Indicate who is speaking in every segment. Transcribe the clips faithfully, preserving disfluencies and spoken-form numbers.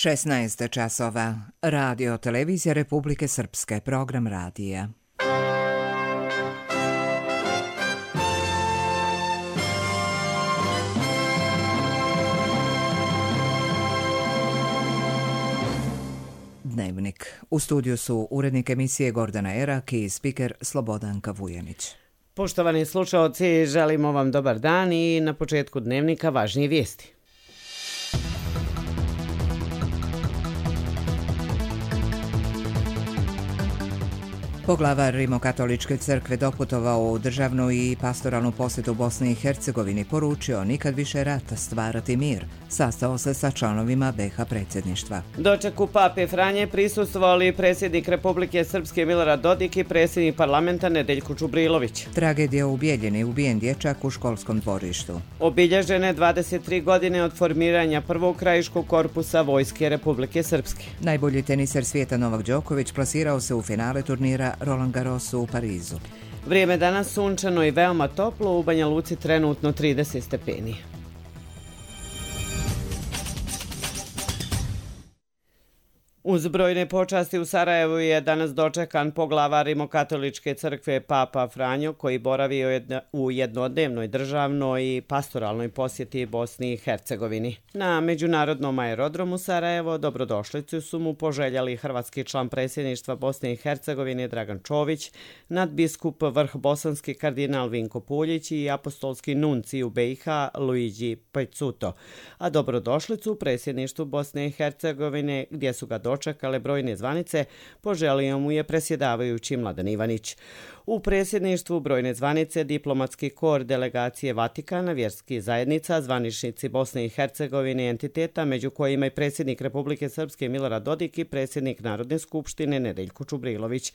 Speaker 1: šesnaest časova. Radio Televizija Republike Srpske. Program radija. Dnevnik. U studiju su urednik emisije Gordana Erak i spiker Slobodanka Vujanić.
Speaker 2: Poštovani slušaoci, želimo vam dobar dan i na početku dnevnika važnije vijesti.
Speaker 1: Poglavar Rimokatoličke crkve doputovao u državnu i pastoralnu posjetu Bosni i Hercegovini, poručio nikad više rata, stvarati mir. Sastao se sa članovima be ha predsjedništva.
Speaker 2: Dočeku pape Franje prisustvovali predsjednik Republike Srpske Milorad Dodik i predsjednik parlamenta Nedeljko Čubrilović.
Speaker 1: Tragedija u Bijeljini, ubijen dječak u školskom dvorištu.
Speaker 2: Obilježene dvadeset tri godine od formiranja prvog krajiškog korpusa Vojske Republike Srpske.
Speaker 1: Najbolji teniser svijeta Novak Đoković plasirao se u finale turnira Roland Garrosu u Parizu.
Speaker 2: Vrijeme danas sunčano i veoma toplo, u Banja Luci trenutno trideset stepeni. Uz brojne počasti u Sarajevu je danas dočekan poglavar Rimokatoličke crkve Papa Franjo, koji boravi u jednodnevnoj državnoj i pastoralnoj posjeti Bosni i Hercegovini. Na međunarodnom aerodromu Sarajevo dobrodošlicu su mu poželjali hrvatski član predsjedništva Bosne i Hercegovine Dragan Čović, nadbiskup vrh bosanski kardinal Vinko Puljić i apostolski nunci u be i ha Luigi Pejcuto. A dobrodošlicu u predsjedništvu Bosne i Hercegovine, gdje su ga dočekale brojne zvanice, poželio mu je predsjedavajući Mladen Ivanić. U predsjedništvu brojne zvanice, diplomatski kor delegacije Vatikana, vjerskih zajednica, zvaničnici Bosne i Hercegovine i entiteta, među kojima i predsjednik Republike Srpske Milorad Dodik i predsjednik Narodne skupštine Nedeljko Čubrilović.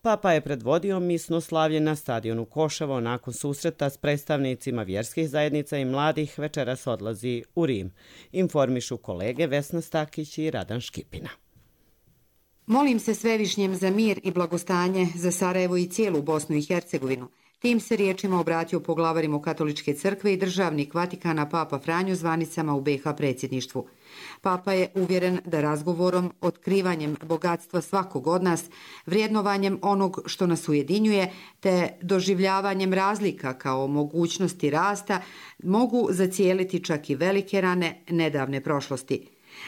Speaker 2: Papa je predvodio misno slavlje na stadionu Koševo. Nakon susreta s predstavnicima vjerskih zajednica i mladih večeras odlazi u Rim. Informišu kolege Vesna Stakić i Radan Škipina.
Speaker 3: Molim se Svevišnjem za mir i blagostanje za Sarajevo i cijelu Bosnu i Hercegovinu. Tim se riječima obratio poglavar Rimokatoličke crkve i državnik Vatikana Papa Franjo zvanicama u be ha predsjedništvu. Papa je uvjeren da razgovorom, otkrivanjem bogatstva svakog od nas, vrijednovanjem onog što nas ujedinjuje, te doživljavanjem razlika kao mogućnosti rasta, mogu zacijeliti čak i velike rane nedavne prošlosti.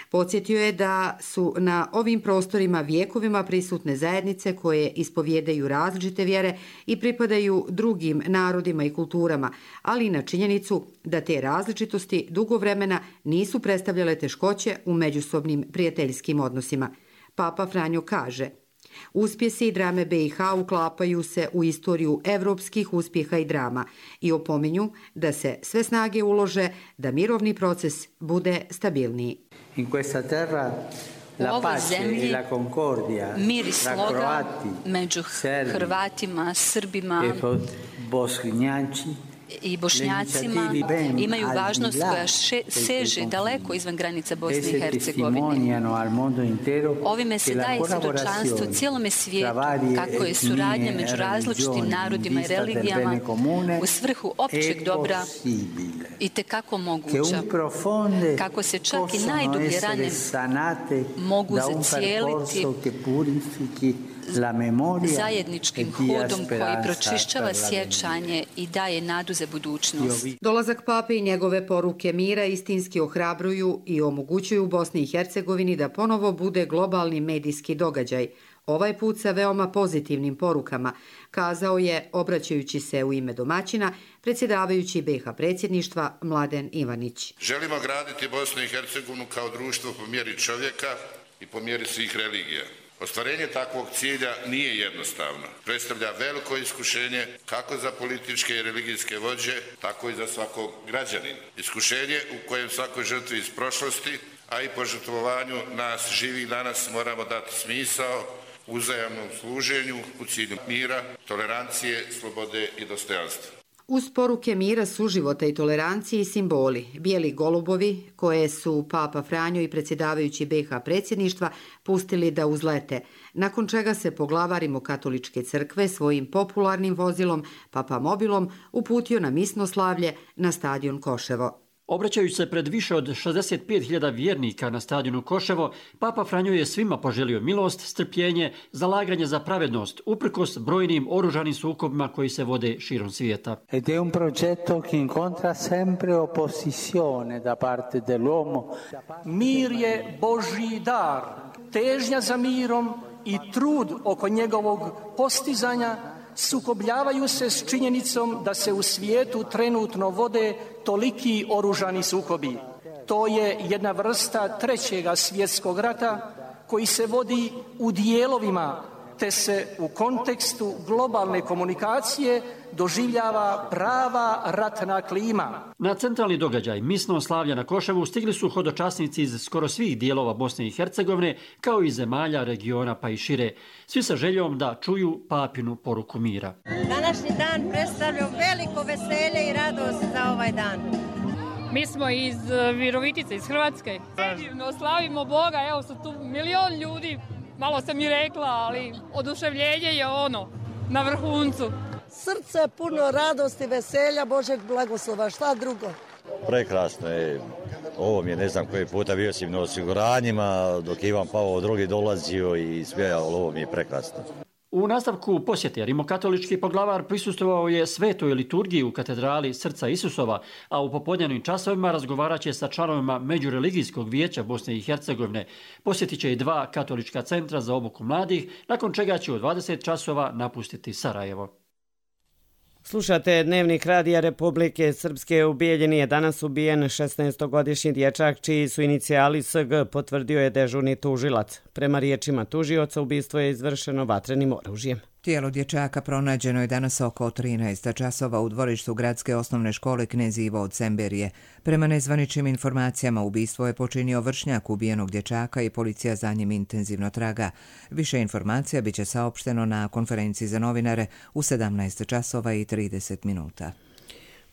Speaker 3: Podsjetio je da su na ovim prostorima vjekovima prisutne zajednice koje ispovjedaju različite vjere i pripadaju drugim narodima i kulturama, ali i na činjenicu da te različitosti dugo vremena nisu predstavljale teškoće u međusobnim prijateljskim odnosima. Papa Franjo kaže: uspjesi i drame be i ha uklapaju se u istoriju evropskih uspjeha i drama i opominju da se sve snage ulože da mirovni proces bude stabilniji.
Speaker 4: In questa terra la pace e la concordia
Speaker 5: mir i sloga među Hrvatima, Srbima i Bošnjacima imaju važnost koja še, seže daleko izvan granica Bosne i Hercegovine. Ovime se daje svjedočanstvo cijelome svijetu kako je suradnja među različitim narodima i religijama u svrhu općeg dobra i tekako moguća. Kako se čak i najdublje rane mogu zacijeliti zajedničkim hodom koji pročišćava sjećanje i daje nadu za budućnost.
Speaker 3: Dolazak pape i njegove poruke mira istinski ohrabruju i omogućuju Bosni i Hercegovini da ponovo bude globalni medijski događaj, ovaj put sa veoma pozitivnim porukama, kazao je, obraćajući se u ime domaćina, predsjedavajući be ha predsjedništva Mladen Ivanić.
Speaker 6: Želimo graditi Bosnu i Hercegovinu kao društvo po mjeri čovjeka i po mjeri svih religija. Ostvarenje takvog cilja nije jednostavno. Predstavlja veliko iskušenje kako za političke i religijske vođe, tako i za svakog građanina. Iskušenje u kojem svakoj žrtvi iz prošlosti, a i požrtvovanju nas živih danas moramo dati smisao uzajamnom služenju u cilju mira, tolerancije, slobode i dostojanstva.
Speaker 3: Uz poruke mira, suživota i tolerancije i simboli, bijeli golubovi koje su Papa Franjo i predsjedavajući be ha predsjedništva pustili da uzlete, nakon čega se poglavar Rimokatoličke crkve svojim popularnim vozilom Papa Mobilom uputio na misno slavlje na stadion Koševo.
Speaker 7: Obraćajući se pred više od šezdeset pet hiljada vjernika na stadionu Koševo, Papa Franjo je svima poželio milost, strpljenje, zalaganje za pravednost, uprkos brojnim oružanim sukobima koji se vode širom svijeta.
Speaker 4: Ed è un progetto che incontra sempre opposizione da parte dell'uomo.
Speaker 8: Mir je Božji dar, težnja za mirom i trud oko njegovog postizanja sukobljavaju se s činjenicom da se u svijetu trenutno vode toliki oružani sukobi. To je jedna vrsta trećega svjetskog rata koji se vodi u dijelovima, te se u kontekstu globalne komunikacije doživljava prava ratna klima.
Speaker 7: Na centralni događaj misno slavlja na Koševu stigli su hodočasnici iz skoro svih dijelova Bosne i Hercegovine, kao i zemalja, regiona pa i šire, svi sa željom da čuju papinu poruku mira.
Speaker 9: Današnji dan predstavlja veliko veselje i radost za ovaj dan.
Speaker 10: Mi smo iz Virovitice, iz Hrvatske. Predivno slavimo Boga, evo su tu milion ljudi. Malo sam i rekla, ali oduševljenje je ono, na vrhuncu.
Speaker 9: Srce puno radosti, veselja, Božeg blagoslova, šta drugo?
Speaker 11: Prekrasno je. Ovo mi je ne znam koji puta bio sam na osiguranjima, dok Ivan Pavao drugi dolazio i sve, ali ovo mi je prekrasno.
Speaker 7: U nastavku posjete rimokatolički poglavar prisustvovao je svetoj liturgiji u katedrali Srca Isusova, a u popodnevnim časovima razgovarat će sa članovima Međureligijskog vijeća Bosne i Hercegovine. Posjetit će i dva katolička centra za obuku mladih, nakon čega će u dvadeset časova napustiti Sarajevo.
Speaker 2: Slušate Dnevnik Radija Republike Srpske. U Bijeljini je danas ubijen šesnaestogodišnji dječak čiji su inicijali S G, potvrdio je dežurni tužilac. Prema riječima tužioca, ubistvo je izvršeno vatrenim oružjem.
Speaker 1: Tijelo dječaka pronađeno je danas oko trinaest časova u dvorištu gradske osnovne škole Knez Ivo od Semberije. Prema nezvaničnim informacijama, ubistvo je počinio vršnjak ubijenog dječaka i policija za njim intenzivno traga. Više informacija biće saopšteno na konferenciji za novinare u sedamnaest časova i trideset minuta.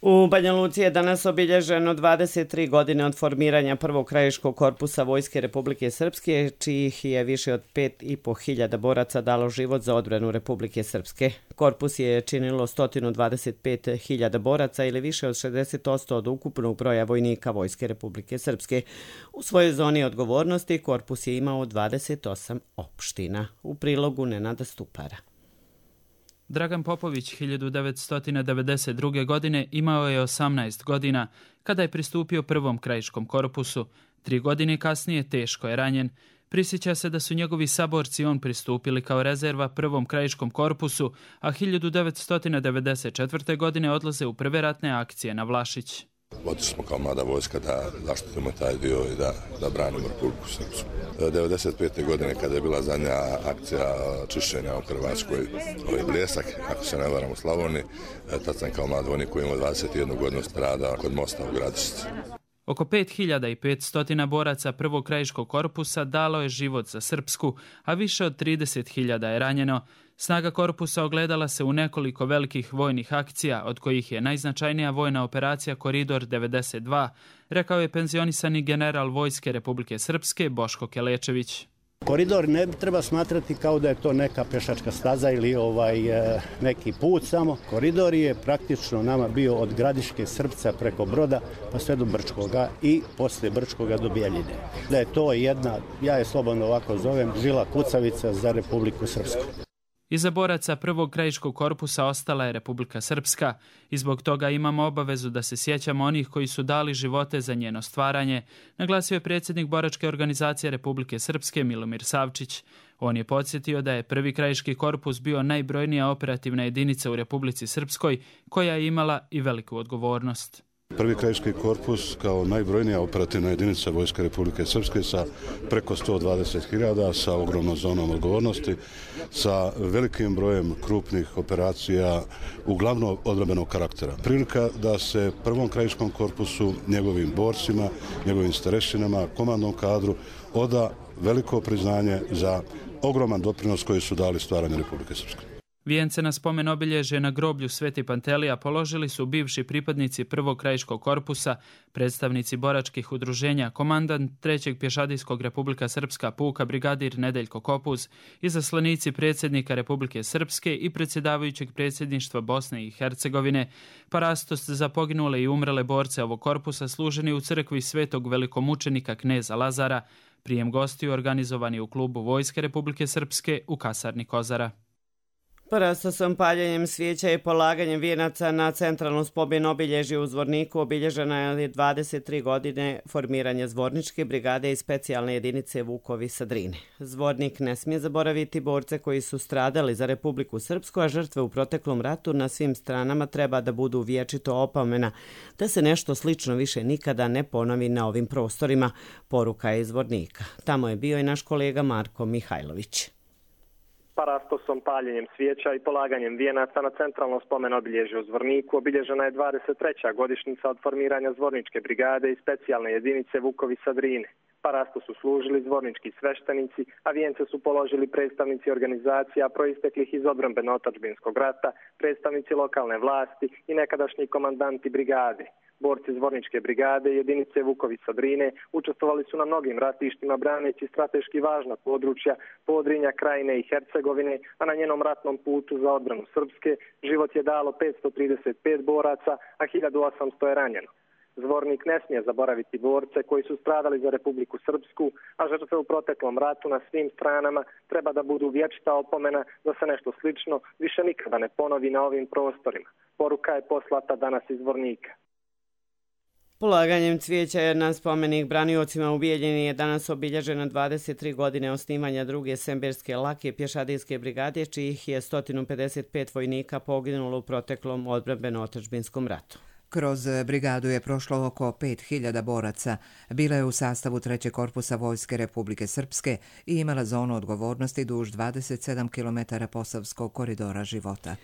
Speaker 2: U Banja Luci je danas obilježeno dvadeset tri godine od formiranja prvog krajiškog korpusa Vojske Republike Srpske, čijih je više od pet i po hiljada boraca dalo život za odbranu Republike Srpske. Korpus je činilo sto dvadeset pet hiljada boraca ili više od šezdeset posto od ukupnog broja vojnika Vojske Republike Srpske. U svojoj zoni odgovornosti korpus je imao dvadeset osam opština. U prilogu Nenada Stupara.
Speaker 12: Dragan Popović hiljadu devetsto devedeset druge. godine imao je osamnaest godina kada je pristupio prvom krajiškom korpusu. Tri godine kasnije teško je ranjen. Prisjeća se da su njegovi saborci on pristupili kao rezerva prvom krajiškom korpusu, a hiljadu devetsto devedeset četvrte. godine odlaze u prve ratne akcije na Vlašić.
Speaker 13: Otišli smo kao mlada vojska da zaštitimo taj dio i da, da branimo Republiku Srpsku. devedeset pete. godine kada je bila zadnja akcija čišćenja u Hrvatskoj, ovaj Bljesak, ako se ne varam u Slavoniji, tad sam kao mlad vojnik koji imao dvadeset jednu godinu strada kod mosta u Gradišci.
Speaker 12: Oko pet hiljada petsto boraca prvog krajiškog korpusa dalo je život za Srpsku, a više od trideset hiljada je ranjeno. Snaga korpusa ogledala se u nekoliko velikih vojnih akcija, od kojih je najznačajnija vojna operacija Koridor devedeset dva, rekao je penzionisani general Vojske Republike Srpske Boško Kelečević.
Speaker 14: Koridor ne treba smatrati kao da je to neka pešačka staza ili ovaj neki put samo. Koridor je praktično nama bio od Gradiške Srpca preko Broda pa sve do Brčkoga i posle Brčkoga do Bjeljine. Da je to jedna, ja je slobodno ovako zovem, žila kucavica za Republiku Srpsku.
Speaker 12: Iza boraca prvog krajiškog korpusa ostala je Republika Srpska i zbog toga imamo obavezu da se sjećamo onih koji su dali živote za njeno stvaranje, naglasio je predsjednik boračke organizacije Republike Srpske Milomir Savčić. On je podsjetio da je prvi krajiški korpus bio najbrojnija operativna jedinica u Republici Srpskoj, koja je imala i veliku odgovornost.
Speaker 15: Prvi krajiški korpus kao najbrojnija operativna jedinica Vojske Republike Srpske sa preko sto dvadeset hiljada, sa ogromnom zonom odgovornosti, sa velikim brojem krupnih operacija, uglavnom odbrambenog karaktera. Prilika da se prvom krajiškom korpusu, njegovim borcima, njegovim starešinama, komandnom kadru oda veliko priznanje za ogroman doprinos koji su dali stvaranju Republike Srpske.
Speaker 12: Vijence na spomen obilježje na groblju Sveti Pantelija položili su bivši pripadnici prvog krajiškog korpusa, predstavnici boračkih udruženja, komandant trećeg pješadijskog Republika Srpska puka brigadir Nedeljko Kopuz, izaslanici predsjednika Republike Srpske i predsjedavajućeg predsjedništva Bosne i Hercegovine. Parastos za poginule i umrele borce ovog korpusa služeni u crkvi svetog velikomučenika kneza Lazara, prijem gostiju organizovani u klubu Vojske Republike Srpske u kasarni Kozara.
Speaker 2: Parastosom, paljenjem svijeća i polaganjem vijenaca na centralnom spomen obilježju u Zvorniku obilježena je dvadeset tri godine formiranja Zvorničke brigade i specijalne jedinice Vukovi sa Drine. Zvornik ne smije zaboraviti borce koji su stradali za Republiku Srpsku, a žrtve u proteklom ratu na svim stranama treba da budu vječito opomena da se nešto slično više nikada ne ponovi na ovim prostorima, poruka je iz Zvornika. Tamo je bio i naš kolega Marko Mihajlović.
Speaker 16: Parastosom, paljenjem svijeća i polaganjem vijenaca na centralnom spomen obilježju u Zvorniku obilježena je dvadeset treća godišnjica od formiranja Zvorničke brigade i specijalne jedinice Vukovi sa Drine. Parasto su služili zvornički sveštenici, a vijence su položili predstavnici organizacija proisteklih iz odbrambeno-otadžbinskog rata, predstavnici lokalne vlasti i nekadašnji komandanti brigade. Borci Zvorničke brigade i jedinice Vukovi sa Drine učestvovali su na mnogim ratištima braneći strateški važna područja Podrinja, Krajine i Hercegovine, a na njenom ratnom putu za odbranu Srpske život je dalo petsto trideset pet boraca, a hiljadu osamsto je ranjeno. Zvornik ne smije zaboraviti borce koji su stradali za Republiku Srpsku, a žrtve u proteklom ratu na svim stranama treba da budu vječita opomena da se nešto slično više nikada ne ponovi na ovim prostorima. Poruka je poslata danas iz Zvornika.
Speaker 2: Polaganjem cvijeća na spomenik braniocima u Bijeljini je danas obilježena dvadeset tri godine osnivanja druge Semberske lake pješadijske brigade, čijih je sto pedeset pet vojnika poginulo u proteklom odbrambeno-otadžbinskom ratu.
Speaker 1: Kroz brigadu je prošlo oko pet hiljada boraca. Bila je u sastavu trećeg korpusa Vojske Republike Srpske i imala zonu odgovornosti duž dvadeset sedam kilometara Posavskog koridora života.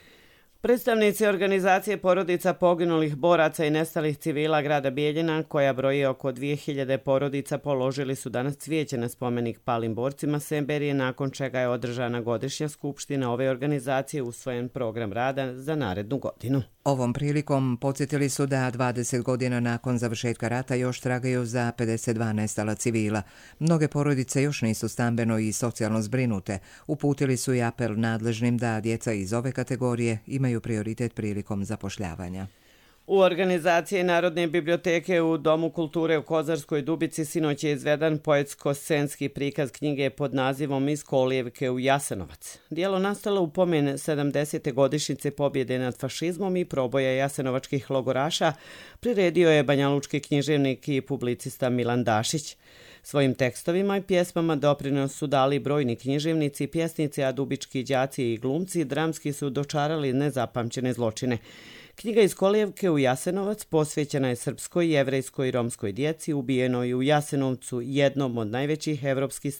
Speaker 2: Predstavnici organizacije porodica poginulih boraca i nestalih civila grada Bijeljina, koja broji oko dvije hiljade porodica, položili su danas cvijeće na spomenik palim borcima Semberije, nakon čega je održana godišnja skupština ove organizacije, usvojen program rada za narednu godinu.
Speaker 1: Ovom prilikom podsjetili su da dvadeset godina nakon završetka rata još tragaju za pedeset dva nestala civila. Mnoge porodice još nisu stambeno i socijalno zbrinute. Uputili su i apel nadležnim da djeca iz ove kategorije imaju prioritet prilikom zapošljavanja.
Speaker 2: U organizaciji Narodne biblioteke u Domu kulture u Kozarskoj Dubici sinoć je izvedan poetsko-scenski prikaz knjige pod nazivom Iz kolijevke u Jasenovac. Dijelo nastalo u pomen sedamdesete godišnjice pobjede nad fašizmom i proboja jasenovačkih logoraša priredio je banjalučki književnik i publicista Milan Dašić. Svojim tekstovima i pjesmama doprinos su dali brojni književnici, pjesnici, a dubički đaci i glumci dramski su dočarali nezapamćene zločine. Knjiga Iz kolijevke u Jasenovac posvećena je srpskoj, jevrejskoj i romskoj djeci ubijenoj u Jasenovcu, jednom od najvećih evropskih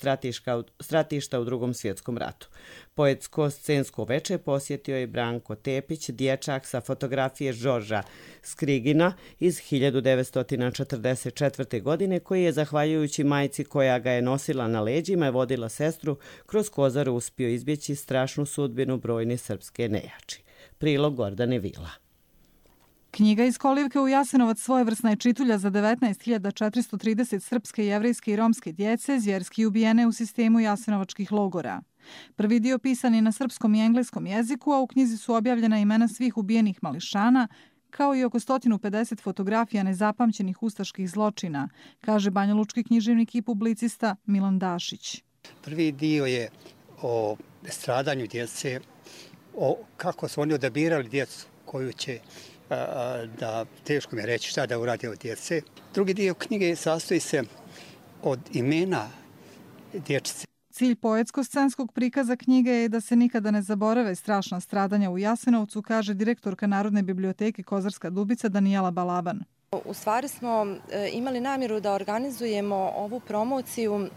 Speaker 2: stratišta u Drugom svjetskom ratu. Poetsko-scensko veče posjetio je Branko Tepić, dječak sa fotografije Žorža Skrigina iz hiljadu devetsto četrdeset četvrte. godine, koji je, zahvaljujući majci koja ga je nosila na leđima i vodila sestru, kroz Kozaru uspio izbjeći strašnu sudbinu brojne srpske nejači. Prilog Gordane Vila.
Speaker 17: Knjiga Iz kolijevke u Jasenovac svojevrsna je čitulja za devetnaest hiljada četiristo trideset srpske, jevrejske i romske djece zvjerski ubijene u sistemu jasenovačkih logora. Prvi dio pisan je na srpskom i engleskom jeziku, a u knjizi su objavljena imena svih ubijenih mališana, kao i oko sto pedeset fotografija nezapamćenih ustaških zločina, kaže banjalučki književnik i publicista Milan Dašić.
Speaker 18: Prvi dio je o stradanju djece, o kako su oni odabirali djecu koju će, da teško mi je reći šta da urade od djece. Drugi dio knjige sastoji se od imena dječice.
Speaker 17: Cilj poetsko-scenskog prikaza knjige je da se nikada ne zaborave strašna stradanja u Jasenovcu, kaže direktorka Narodne biblioteke Kozarska Dubica Danijela Balaban.
Speaker 19: U stvari smo imali namjeru da organizujemo ovu promociju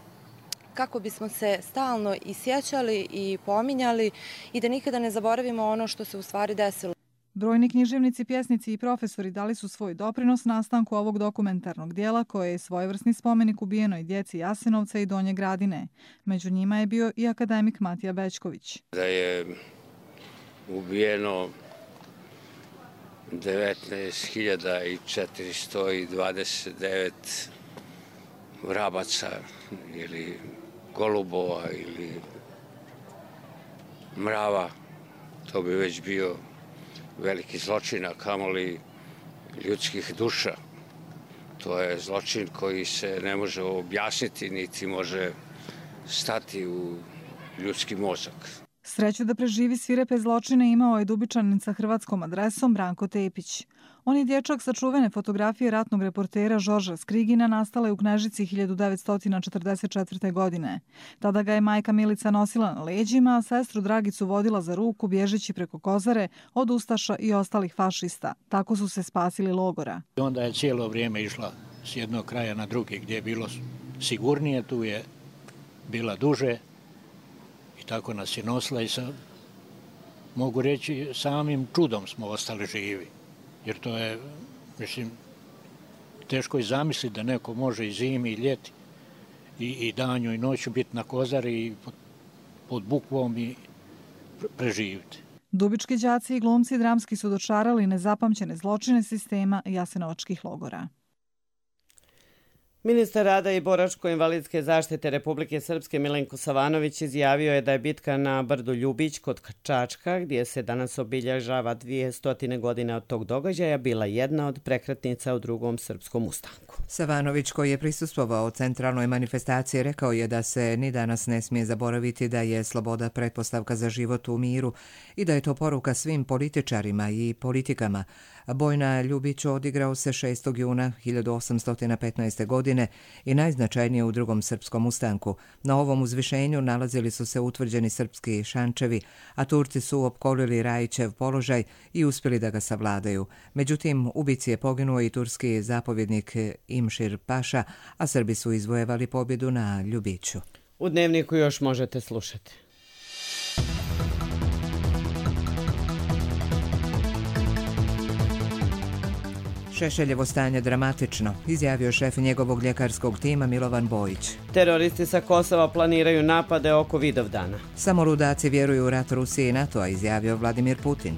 Speaker 19: kako bismo se stalno i sjećali i pominjali i da nikada ne zaboravimo ono što se u stvari desilo.
Speaker 17: Brojni književnici, pjesnici i profesori dali su svoj doprinos nastanku ovog dokumentarnog dijela, koje je svojevrsni spomenik ubijenoj djeci Jasenovca i Donje Gradine. Među njima je bio i akademik Matija Bećković.
Speaker 20: Da je ubijeno devetnaest hiljada četiristo dvadeset devet vrabaca ili golubova ili mrava. To bi već bio veliki zločin, a kamoli ljudskih duša. To je zločin koji se ne može objasniti, niti može stati u ljudski mozak.
Speaker 17: Sreću da preživi svirepe zločine imao je Dubičanin sa hrvatskom adresom Branko Tepić. On je dječak sa čuvene fotografije ratnog reportera Žorža Skrigina nastale u Knežici hiljadu devetsto četrdeset četvrte. godine. Tada ga je majka Milica nosila na leđima, a sestru Dragicu vodila za ruku bježeći preko Kozare od ustaša i ostalih fašista. Tako su se spasili logora.
Speaker 21: Onda je cijelo vrijeme išla s jednog kraja na drugi gdje je bilo sigurnije, tu je bila duže i tako nas je nosila i sa, mogu reći, samim čudom smo ostali živi. Jer to je, mislim, teško je zamisliti da neko može i zimi i ljeti i, i danju i noću biti na Kozari i pod, pod bukvom i preživiti.
Speaker 17: Dubički đaci i glumci dramski su dočarali nezapamćene zločine sistema jasenovačkih logora.
Speaker 2: Ministar rada i boračko-invalidske zaštite Republike Srpske Milenko Savanović izjavio je da je bitka na brdu Ljubić kod Čačka, gdje se danas obilježava dvjesto godine od tog događaja, bila jedna od prekretnica u drugom srpskom ustanku.
Speaker 1: Savanović, koji je prisustvovao centralnoj manifestaciji, rekao je da se ni danas ne smije zaboraviti da je sloboda pretpostavka za život u miru i da je to poruka svim političarima i politikama. Boj na Ljubiću odigrao se šestog juna hiljadu osamsto petnaeste. godine i najznačajnije u drugom srpskom ustanku. Na ovom uzvišenju nalazili su se utvrđeni srpski šančevi, a Turci su opkolili Rajićev položaj i uspjeli da ga savladaju. Međutim, u bici je poginuo i turski zapovjednik Imšir Paša, a Srbi su izvojevali pobjedu na Ljubiću.
Speaker 2: U Dnevniku još možete slušati.
Speaker 1: Šešeljevo stanje dramatično, izjavio šef njegovog ljekarskog tima Milovan Bojić.
Speaker 2: Teroristi sa Kosova planiraju napade oko Vidovdana.
Speaker 1: Samo ludaci vjeruju u rat Rusije i NATO-a, izjavio Vladimir Putin.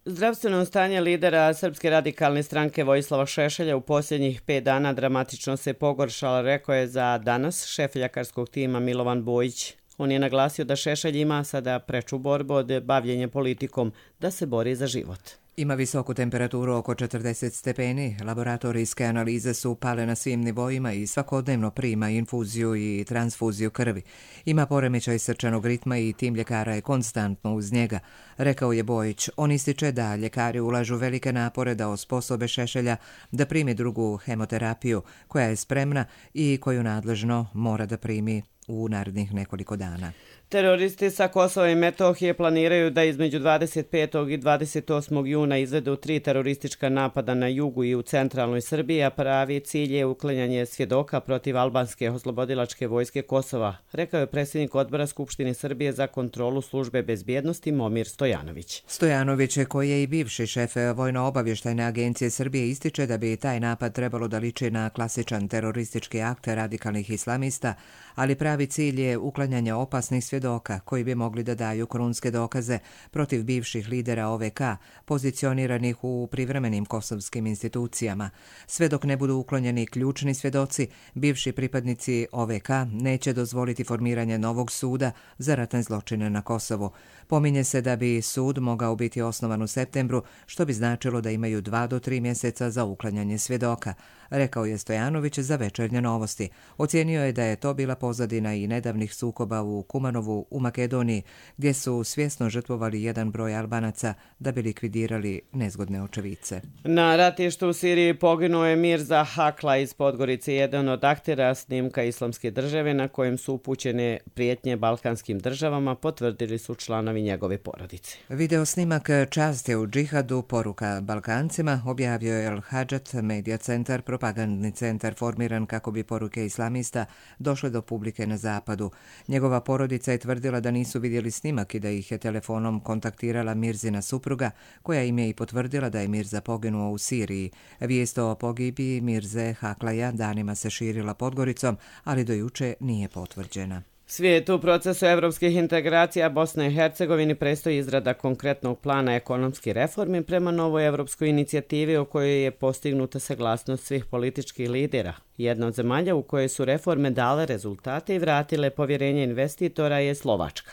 Speaker 2: Zdravstveno stanje lidera Srpske radikalne stranke Vojislava Šešelja u posljednjih pet dana dramatično se pogoršalo, rekao je za danas šef ljekarskog tima Milovan Bojić. On je naglasio da Šešelj ima sada preču borbu od bavljenja politikom, da se bori za život.
Speaker 1: Ima visoku temperaturu oko četrdeset stepeni, laboratorijske analize su pale na svim nivoima i svakodnevno prima infuziju i transfuziju krvi. Ima poremećaj srčanog ritma i tim ljekara je konstantno uz njega, rekao je Bojić. On ističe da ljekari ulažu velike napore da osposobe Šešelja da primi drugu hemoterapiju koja je spremna i koju nadležno mora da primi u narednih nekoliko dana.
Speaker 2: Teroristi sa Kosova i Metohije planiraju da između dvadeset petog i dvadeset osmog juna izvedu tri teroristička napada na jugu i u centralnoj Srbiji, a pravi cilj je uklanjanje svjedoka protiv albanske oslobodilačke vojske Kosova, rekao je predsjednik odbora Skupštine Srbije za kontrolu službe bezbjednosti Momir Stojanović.
Speaker 1: Stojanović, koji je i bivši šef Vojno-obavještajne agencije Srbije, ističe da bi taj napad trebalo da liči na klasičan teroristički akt radikalnih islamista, ali pravi cilj je uklanjanje opasnih svjedoka koji bi mogli da daju krunske dokaze protiv bivših lidera O V K, pozicioniranih u privremenim kosovskim institucijama. Sve dok ne budu uklonjeni ključni svjedoci, bivši pripadnici O V K neće dozvoliti formiranje novog suda za ratne zločine na Kosovu. Pominje se da bi sud mogao biti osnovan u septembru, što bi značilo da imaju dva do tri mjeseca za uklanjanje svjedoka, rekao je Stojanović za Večernje novosti. Ocijenio je da je to bila pozadina i nedavnih sukoba u Kumanovu u Makedoniji, gdje su svjesno žrtvovali jedan broj Albanaca da bi likvidirali nezgodne očevice.
Speaker 2: Na ratištu u Siriji poginuo je Mirza Hakla iz Podgorice, jedan od aktera snimka Islamske države na kojem su upućene prijetnje balkanskim državama, potvrdili su članovi njegove porodice.
Speaker 1: Video snimak Časti u džihadu, poruka Balkancima, objavio je El Hadžat Media Centar, propagandni centar formiran kako bi poruke islamista došle do publike na zapadu. Njegova porodica je tvrdila da nisu vidjeli snimak i da ih je telefonom kontaktirala Mirzina supruga, koja im je i potvrdila da je Mirza poginuo u Siriji. Vijest o pogibiji Mirze Haklaja danima se širila Podgoricom, ali do juče nije potvrđena.
Speaker 2: Svijetu u procesu evropskih integracija Bosne i Hercegovini predstoji izrada konkretnog plana ekonomskih reformi prema novoj evropskoj inicijativi o kojoj je postignuta saglasnost svih političkih lidera. Jedna od zemalja u kojoj su reforme dale rezultate i vratile povjerenje investitora je Slovačka.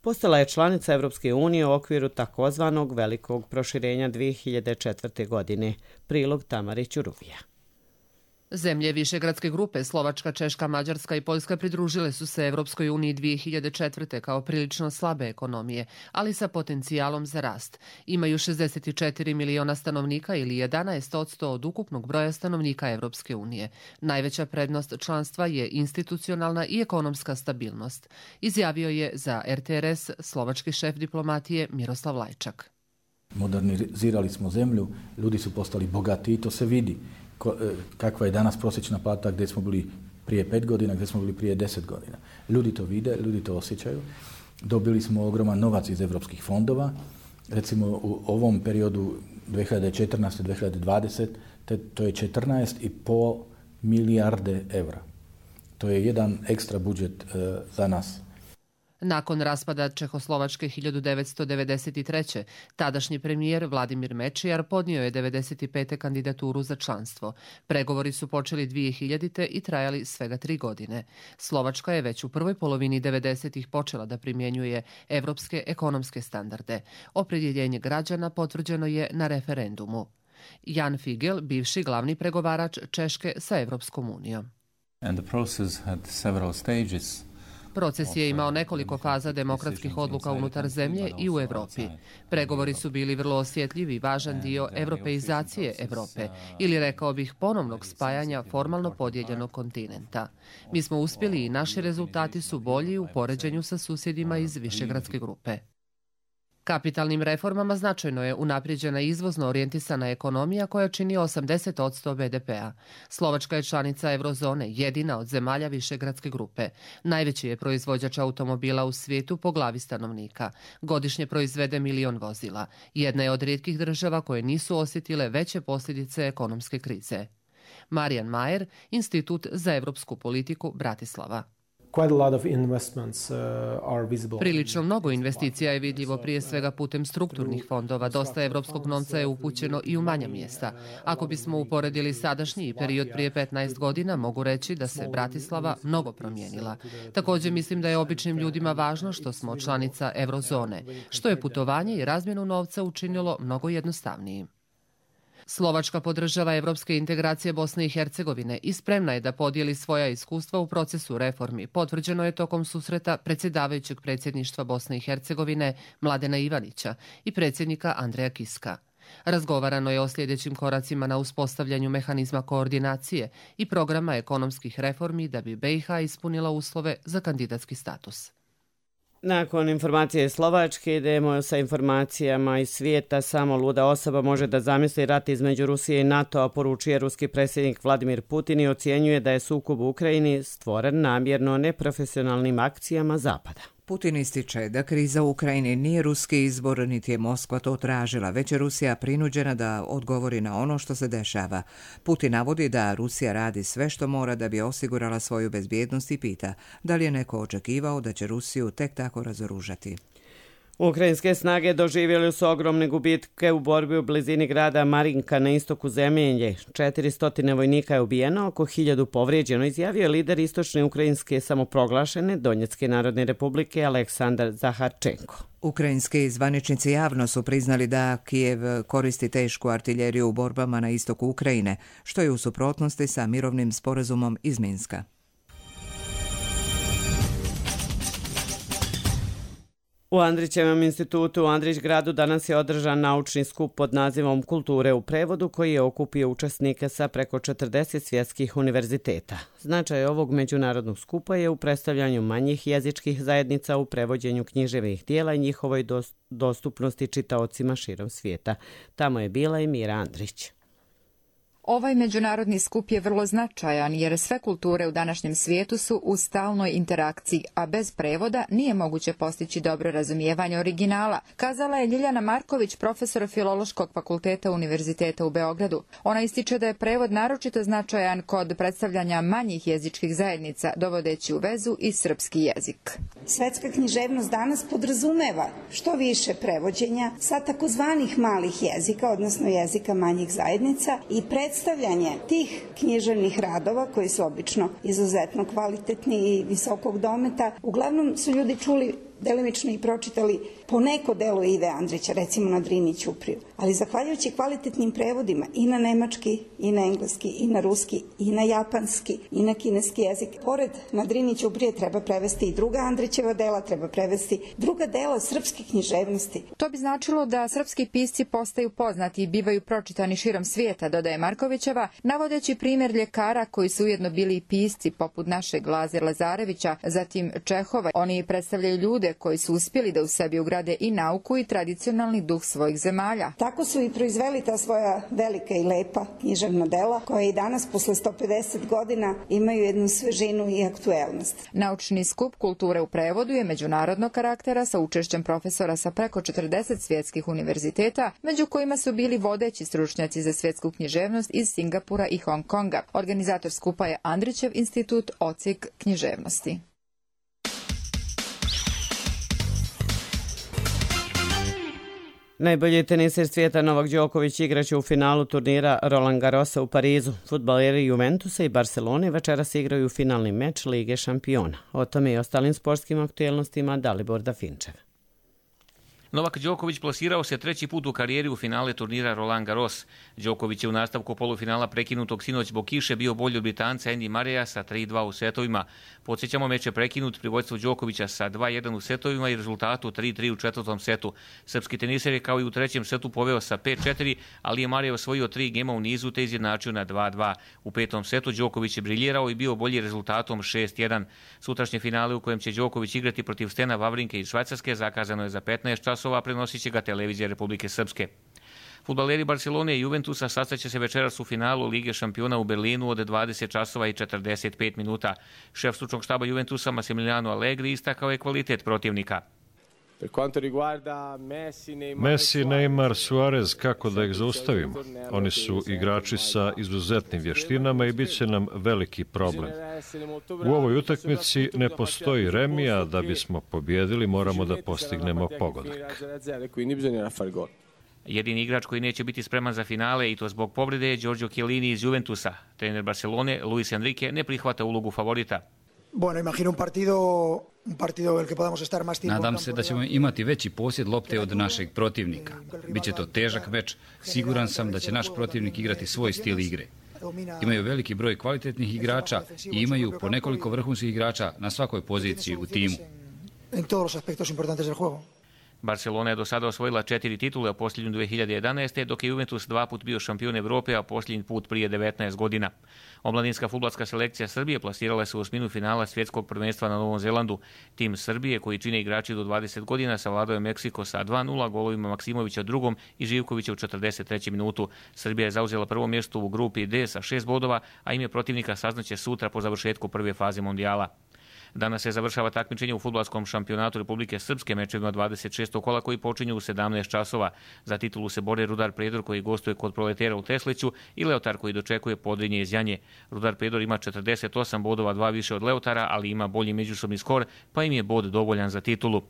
Speaker 2: Postala je članica Evropske unije u okviru takozvanog velikog proširenja dvije hiljade četvrte. godine. Prilog Tamare Ćuruvija.
Speaker 5: Zemlje Višegradske grupe, Slovačka, Češka, Mađarska i Poljska pridružile su se Evropskoj uniji dvije hiljade četvrte. kao prilično slabe ekonomije, ali sa potencijalom za rast. Imaju šezdeset četiri miliona stanovnika ili jedanaest posto od ukupnog broja stanovnika Evropske unije. Najveća prednost članstva je institucionalna i ekonomska stabilnost, izjavio je za R T R S slovački šef diplomatije Miroslav Lajčak.
Speaker 22: Modernizirali smo zemlju, ljudi su postali bogati i to se vidi. Kakva je danas prosječna plata, gdje smo bili prije pet godina, gdje smo bili prije deset godina. Ljudi to vide, ljudi to osjećaju. Dobili smo ogroman novac iz evropskih fondova. Recimo u ovom periodu dvije hiljade četrnaeste. do dvije hiljade dvadesete. to je četrnaest i pol milijarde evra. To je jedan ekstra budžet uh, za nas.
Speaker 5: Nakon raspada Čehoslovačke hiljadu devetsto devedeset treće. tadašnji premijer Vladimir Mečiar podnio je devedeset pete. kandidaturu za članstvo. Pregovori su počeli dvije hiljadite. i trajali svega tri godine. Slovačka je već u prvoj polovini devedesetih počela da primjenjuje evropske ekonomske standarde. Opredjeljenje građana potvrđeno je na referendumu. Jan Figel, bivši glavni pregovarač Češke sa Evropskom unijom.
Speaker 23: And the process had several stages.
Speaker 5: Proces je imao nekoliko faza demokratskih odluka unutar zemlje i u Evropi. Pregovori su bili vrlo osjetljivi i važan dio evropeizacije Evrope, ili rekao bih ponovnog spajanja formalno podijeljenog kontinenta. Mi smo uspjeli i naši rezultati su bolji u poređenju sa susjedima iz Višegradske grupe. Kapitalnim reformama značajno je unaprijeđena izvozno orijentisana ekonomija koja čini osamdeset posto B D P-a. Slovačka je članica Eurozone, jedina od zemalja Višegradske grupe. Najveći je proizvođač automobila u svijetu po glavi stanovnika. Godišnje proizvede milion vozila. Jedna je od rijetkih država koje nisu osjetile veće posljedice ekonomske krize. Marijan Majer, Institut za evropsku politiku, Bratislava. Prilično mnogo investicija je vidljivo prije svega putem strukturnih fondova. Dosta evropskog novca je upućeno i u manja mjesta. Ako bismo uporedili sadašnji period prije petnaest godina, mogu reći da se Bratislava mnogo promijenila. Također mislim da je običnim ljudima važno što smo članica Eurozone, što je putovanje i razmjenu novca učinilo mnogo jednostavnijim. Slovačka podržava evropske integracije Bosne i Hercegovine i spremna je da podijeli svoja iskustva u procesu reformi. Potvrđeno je tokom susreta predsjedavajućeg predsjedništva Bosne i Hercegovine Mladena Ivanića i predsjednika Andreja Kiska. Razgovarano je o sljedećim koracima na uspostavljanju mehanizma koordinacije i programa ekonomskih reformi da bi B i H ispunila uslove za kandidatski status.
Speaker 2: Nakon informacije Slovačke idemo sa informacijama iz svijeta. Samo luda osoba može da zamisli rat između Rusije i NATO-a, poručuje ruski predsjednik Vladimir Putin i ocjenjuje da je sukob u Ukrajini stvoren namjerno neprofesionalnim akcijama Zapada.
Speaker 1: Putin ističe da kriza u Ukrajini nije ruski izbor, niti je Moskva to tražila, već je Rusija prinuđena da odgovori na ono što se dešava. Putin navodi da Rusija radi sve što mora da bi osigurala svoju bezbjednost i pita da li je neko očekivao da će Rusiju tek tako razoružati.
Speaker 2: Ukrajinske snage doživjeli su ogromne gubitke u borbi u blizini grada Marinka na istoku zemlje. četiristo vojnika je ubijeno, oko hiljadu povrijeđeno, izjavio je lider istočne ukrajinske samoproglašene Donjecke narodne republike Aleksandar Zaharčenko.
Speaker 1: Ukrajinski zvaničnici javno su priznali da Kijev koristi tešku artiljeriju u borbama na istoku Ukrajine, što je u suprotnosti sa mirovnim sporazumom iz Minska.
Speaker 2: U Andrićevom institutu u Andrić gradu danas je održan naučni skup pod nazivom Kulture u prevodu koji je okupio učesnike sa preko četrdeset svjetskih univerziteta. Značaj ovog međunarodnog skupa je u predstavljanju manjih jezičkih zajednica u prevođenju književnih dijela i njihovoj dostupnosti čitaocima širom svijeta. Tamo je bila i Mira Andrić.
Speaker 3: Ovaj međunarodni skup je vrlo značajan jer sve kulture u današnjem svijetu su u stalnoj interakciji, a bez prevoda nije moguće postići dobro razumijevanje originala, kazala je Ljiljana Marković, profesor Filološkog fakulteta Univerziteta u Beogradu. Ona ističe da je prevod naročito značajan kod predstavljanja manjih jezičkih zajednica, dovodeći u vezu i srpski jezik.
Speaker 4: Svetska književnost danas podrazumeva što više prevođenja sa takozvanih malih jezika, odnosno jezika manjih zajednica, i predstavljanje tih književnih radova koji su obično izuzetno kvalitetni i visokog dometa. Uglavnom su ljudi čuli delimično i pročitali po neko delo Ive Andrića, recimo na Drini Ćupriju. Ali zahvaljujući kvalitetnim prevodima i na nemački, i na engleski, i na ruski, i na japanski, i na kineski jezik, pored na Drini Ćuprije treba prevesti i druga Andrićeva dela, treba prevesti druga dela srpske književnosti.
Speaker 3: To bi značilo da srpski pisci postaju poznati i bivaju pročitani širom svijeta, dodaje Markovićeva, navodeći primjer ljekara koji su ujedno bili i pisci poput našeg Laze Lazarevića, zatim Čehova. Oni predstavljaju ljude koji su uspjeli da u sebi ugrade i nauku i tradicionalni duh svojih zemalja.
Speaker 4: Tako su i proizveli ta svoja velika i lepa književna dela, koja i danas, posle sto pedeset godina, imaju jednu svežinu i aktuelnost.
Speaker 3: Naučni skup kulture u prevodu je međunarodnog karaktera sa učešćem profesora sa preko četrdeset svjetskih univerziteta, među kojima su bili vodeći stručnjaci za svjetsku književnost iz Singapura i Hong Konga. Organizator skupa je Andrićev institut Odsjek književnosti.
Speaker 2: Najbolji teniser svijeta Novak Đoković igraće u finalu turnira Roland Garrosa u Parizu. Fudbaleri Juventusa i Barcelone večeras igraju finalni meč Lige šampiona. O tome i ostalim sportskim aktuelnostima Dalibor Dafinčev.
Speaker 6: Novak Đoković plasirao se treći put u karijeri u finale turnira Roland Garros. Đoković je u nastavku polufinala prekinutog sinoć zbog kiše bio bolji od Britanca Andy Murraya sa tri dva u setovima. Podsjećamo, meč je prekinut pri vođstvu Đokovića sa dva jedan u setovima i rezultatu tri tri u četvrtom setu. Srpski teniser je kao i u trećem setu poveo sa pet četiri, ali je Murray osvojio tri gema u nizu te izjednačio na dva dva. U petom setu Đoković je briljirao i bio bolji rezultatom šest jedan. Sutrašnje finale u kojem će Đoković igrati protiv Stena Wawrinke iz Švajcarske zakazano je za petnaest časova, prenosit će ga televizija Republike Srpske. Fudbaleri Barcelone i Juventusa sastaće se večeras u finalu Lige šampiona u Berlinu od dvadeset časova i četrdeset pet minuta. Šef stručnog štaba Juventusa Massimiliano Allegri istakao je kvalitet protivnika.
Speaker 24: Messi, Neymar, Suarez, kako da ih zaustavimo? Oni su igrači sa izuzetnim vještinama i bit će nam veliki problem. U ovoj utakmici ne postoji remija, da bismo pobjedili moramo da postignemo pogodak.
Speaker 6: Jedini igrač koji neće biti spreman za finale i to zbog povrede je Giorgio Chiellini iz Juventusa. Trener Barcelone Luis Enrique ne prihvata ulogu favorita.
Speaker 25: Bueno, imagino un partido un partido el que podamos estar más tiempo.
Speaker 26: Nadam se da ćemo imati veći posjed lopte od našeg protivnika. Biće to težak meč. Siguran sam da će naš protivnik igrati svoj stil igre. Imaju veliki broj kvalitetnih igrača i imaju po nekoliko vrhunskih igrača na svakoj poziciji u timu.
Speaker 25: En todos los aspectos importantes del juego.
Speaker 6: Barcelona je do sada osvojila četiri titule, a posljednju dve hiljade jedanaeste. dok je Juventus dva put bio šampion Evrope, a posljednji put prije devetnaest godina. Omladinska fudbalska selekcija Srbije plasirala se u osminu finala svjetskog prvenstva na Novom Zelandu. Tim Srbije, koji čine igrači do dvadeset godina, savladao je Meksiko sa dva nula golovima Maksimovića u drugom i Živkovića u četrdeset trećem minutu. Srbija je zauzela prvo mjesto u grupi D sa šest bodova, a ime protivnika saznaće sutra po završetku prve faze mondijala. Danas se završava takmičenje u fudbalskom šampionatu Republike Srpske mečevima dvadeset šestog kola koji počinju u sedamnaest časova. Za titulu se bore Rudar Predor koji gostuje kod Proletera u Tesliću i Leotar koji dočekuje Podrinje iz Janje. Rudar Predor ima četrdeset osam bodova, dva više od Leotara, ali ima bolji međusobni skor, pa im je bod dovoljan za titulu.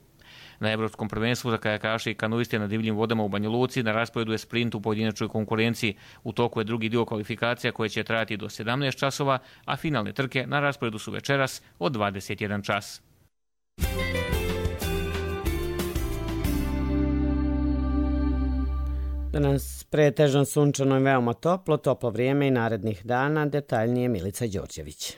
Speaker 6: Na Evropskom prvenstvu za kajakaše i kanuiste na divljim vodama u Banja Luci na rasporedu je sprint u pojedinačnoj konkurenciji. U toku je drugi dio kvalifikacija koje će trajati do sedamnaest časova, a finalne trke na rasporedu su večeras od dvadeset jedan čas.
Speaker 2: Danas pretežno sunčano i veoma toplo, toplo vrijeme i narednih dana, detaljnije Milica Đorđević.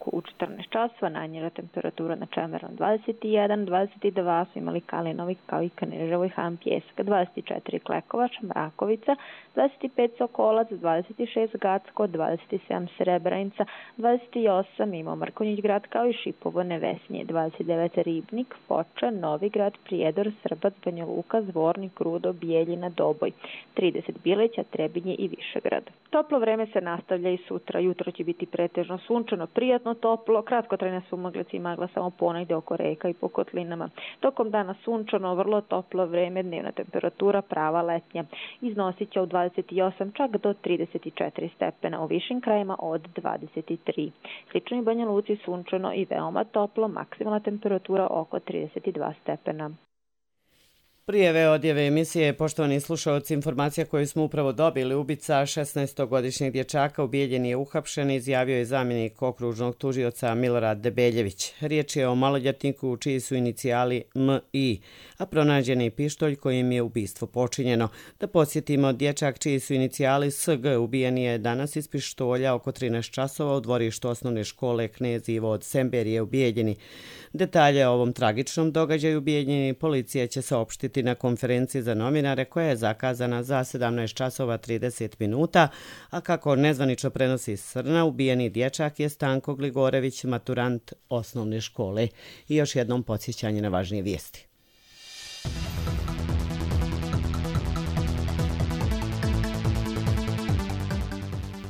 Speaker 7: u četrnaest časova, najniža temperatura na Čemerom dvadeset jedan, dvadeset dva su imali Kalinovi kao i Kneževo i Han Pjesak, dvadeset četiri Klekovač, Mrakovica, dvadeset pet Sokolac, dvadeset šest Gacko, dvadeset sedam Srebrenica, dvadeset osam imao Mrkonjić grad kao i Šipovo Nevesnje, dvadeset devet Ribnik, Foča, Novi grad, Prijedor, Srbac, Banja Luka, Zvornik, Rudo, Bijeljina, Doboj, trideset Bileća, Trebinje i Višegrad. Toplo vreme se nastavlja i sutra. Jutro će biti pretežno sunčano, prijatno toplo, kratkotrajne sumaglice i magla samo ponegde oko reka i po kotlinama. Tokom dana sunčano, vrlo toplo vreme, dnevna temperatura prava letnja. Iznosit će od dvadeset osam čak do trideset četiri stepena, u višim krajima od dvadeset tri. Slično i Banja Luci sunčano i veoma toplo, maksimalna temperatura oko trideset dva stepena.
Speaker 2: Prijeve odjeve emisije, poštovani slušalci, informacija koju smo upravo dobili, ubica šesnaestogodišnjeg dječaka ubijeljen je uhapšen, izjavio je zamjenik okružnog tužioca Milorad Debeljević. Riječ je o maloljetniku čiji su inicijali M I, a pronađen je pištolj kojim je ubistvo počinjeno. Da podsjetimo, dječak čiji su inicijali S G ubijen je danas iz pištolja oko trinaest časova u dvorištu osnovne škole Knez Ivo od Semberije ubijeljeni. Detalje o ovom tragičnom događaju ubijeljeni policija će saopštiti na konferenciji za novinare koja je zakazana za sedamnaest časova trideset minuta, a kako nezvanično prenosi Srna, ubijeni dječak je Stanko Gligorević, maturant osnovne škole. I još jednom podsjećanje na važnije vijesti.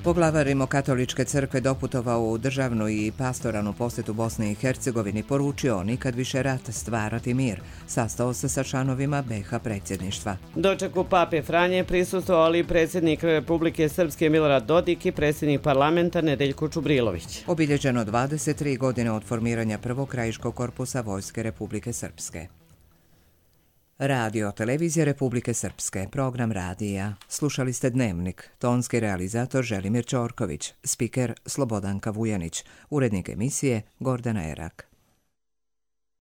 Speaker 1: Poglavar Rimokatoličke crkve doputovao u državnu i pastoralnu posjetu Bosne i Hercegovini, poručio nikad više rat, stvarati mir. Sastao se sa članovima B iH predsjedništva.
Speaker 2: Dočeku pape Franje prisustvovali predsjednik Republike Srpske Milorad Dodik i predsjednik parlamenta Nedeljko Čubrilović.
Speaker 1: Obilježeno dvadeset tri godine od formiranja prvog krajiškog korpusa Vojske Republike Srpske. Radio Televizija Republike Srpske, program radija. Slušali ste Dnevnik, tonski realizator Želimir Ćorković, spiker Slobodanka Vujanić, urednik emisije Gordana Erak.